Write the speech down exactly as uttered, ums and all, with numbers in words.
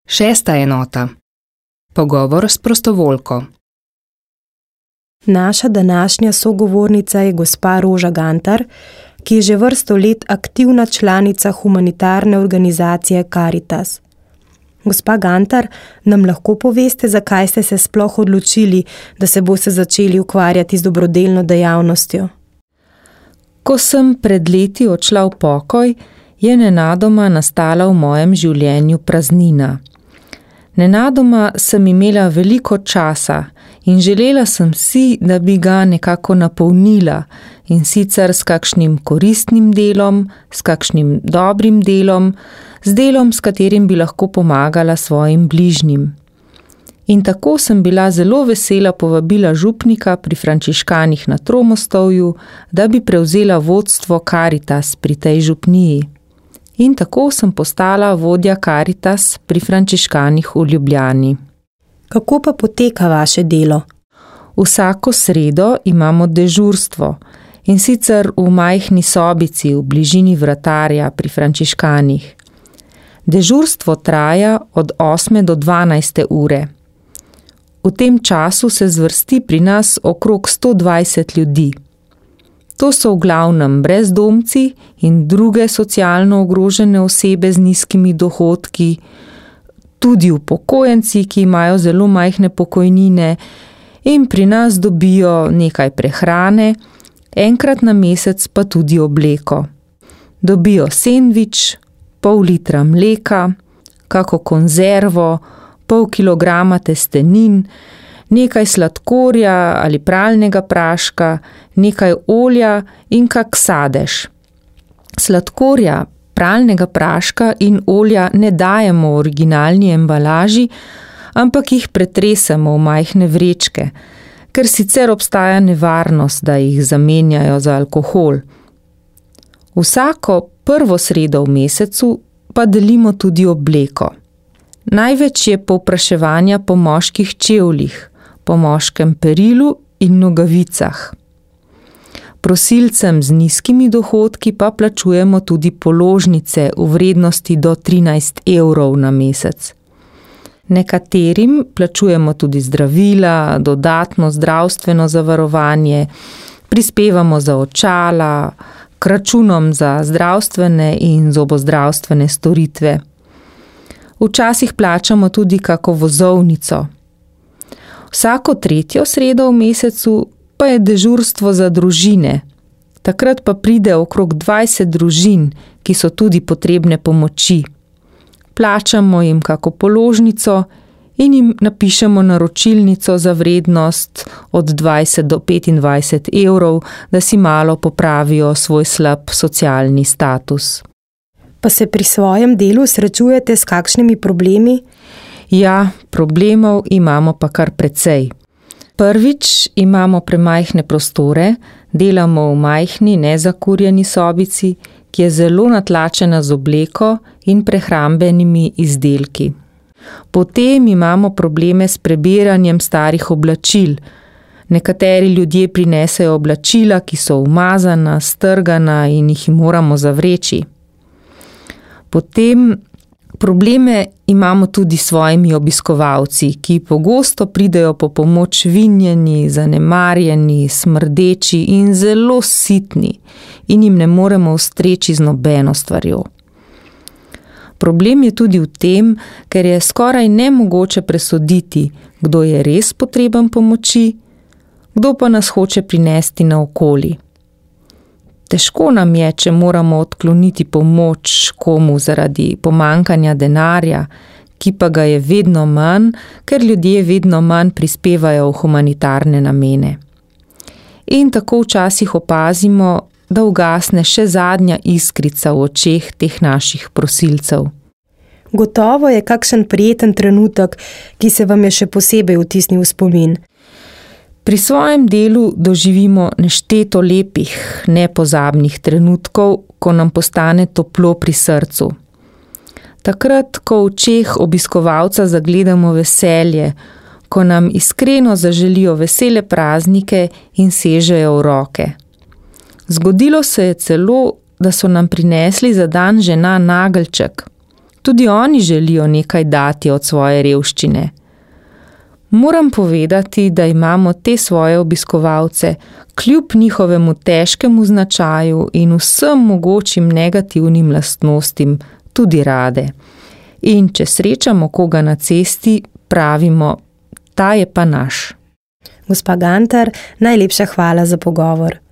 Šesta enota. Pogovor s prostovoljko. Naša današnja sogovornica je gospa Roža Gantar, ki je že vrsto let aktivna članica humanitarne organizacije Karitas. Gospa Gantar, nam lahko poveste, zakaj ste se sploh odločili, da se boste začeli ukvarjati z dobrodelno dejavnostjo? Ko sem pred leti odšla v pokoj, je nenadoma nastala v mojem življenju praznina. Nenadoma sem imela veliko časa in želela sem si, da bi ga nekako napolnila, in sicer s kakšnim koristnim delom, s kakšnim dobrim delom, z delom, s katerim bi lahko pomagala svojim bližnjim. In tako sem bila zelo vesela povabila župnika pri Frančiškanih na Tromostovju, da bi prevzela vodstvo Karitas pri tej župniji. In tako sem postala vodja Karitas pri Frančiškanih v Ljubljani. Kako pa poteka vaše delo? Vsako sredo imamo dežurstvo, in sicer v majhni sobici v bližini vratarja pri Frančiškanih. Dežurstvo traja od osme do dvanajste ure. V tem času se zvrsti pri nas okrog sto dvajset ljudi. To so v glavnem brezdomci in druge socialno ogrožene osebe z nizkimi dohodki, tudi upokojenci, ki imajo zelo majhne pokojnine in pri nas dobijo nekaj prehrane, enkrat na mesec pa tudi obleko. Dobijo sendvič, pol litra mleka, kako konzervo, pol kilograma testenin, nekaj sladkorja ali pralnega praška, nekaj olja in kak sadež. Sladkorja, pralnega praška in olja ne dajemo v originalni embalaži, ampak jih pretresemo v majhne vrečke, ker sicer obstaja nevarnost, da jih zamenjajo za alkohol. Vsako prvo sredo v mesecu pa delimo tudi obleko. Največ je povpraševanja po moških čevljih, po moškem perilu in nogavicah. Prosilcem z nizkimi dohodki pa plačujemo tudi položnice v vrednosti do trinajst evrov na mesec. Nekaterim plačujemo tudi zdravila, dodatno zdravstveno zavarovanje, prispevamo za očala, k računom za zdravstvene in zobozdravstvene storitve. Včasih plačamo tudi kako vozovnico. Vsako tretjo sredo v mesecu pa je dežurstvo za družine. Takrat pa pride okrog dvajset družin, ki so tudi potrebne pomoči. Plačamo jim kako položnico in jim napišemo naročilnico za vrednost od dvajset do petindvajset evrov, da si malo popravijo svoj slab socialni status. Pa se pri svojem delu srečujete s kakšnimi problemi? Ja, problemov imamo pa kar precej. Prvič imamo premajhne prostore, delamo v majhni, nezakurjeni sobici, ki je zelo natlačena z obleko in prehrambenimi izdelki. Potem imamo probleme s prebiranjem starih oblačil. Nekateri ljudje prinesejo oblačila, ki so umazana, strgana in jih moramo zavreči. Potem probleme imamo tudi s svojimi obiskovalci, ki pogosto pridejo po pomoč vinjeni, zanemarjeni, smrdeči in zelo sitni in jim ne moremo ustreči z nobeno stvarjo. Problem je tudi v tem, ker je skoraj nemogoče presoditi, kdo je res potreben pomoči, kdo pa nas hoče prinesti naokoli. Težko nam je, če moramo odkloniti pomoč komu zaradi pomankanja denarja, ki pa ga je vedno manj, ker ljudje vedno manj prispevajo v humanitarne namene. In tako včasih opazimo, da ugasne še zadnja iskrica v očeh teh naših prosilcev. Gotovo je kakšen prijeten trenutek, ki se vam je še posebej vtisnil v spomin. Pri svojem delu doživimo nešteto lepih, nepozabnih trenutkov, ko nam postane toplo pri srcu. Takrat, ko v očeh obiskovalca zagledamo veselje, ko nam iskreno zaželijo vesele praznike in sežejo v roke. Zgodilo se je celo, da so nam prinesli za dan žena nageljček. Tudi oni želijo nekaj dati od svoje revščine. Moram povedati, da imamo te svoje obiskovalce kljub njihovemu težkemu značaju in vsem mogočim negativnim lastnostim tudi rade. In če srečamo koga na cesti, pravimo, ta je pa naš. Gospa Gantar, najlepša hvala za pogovor.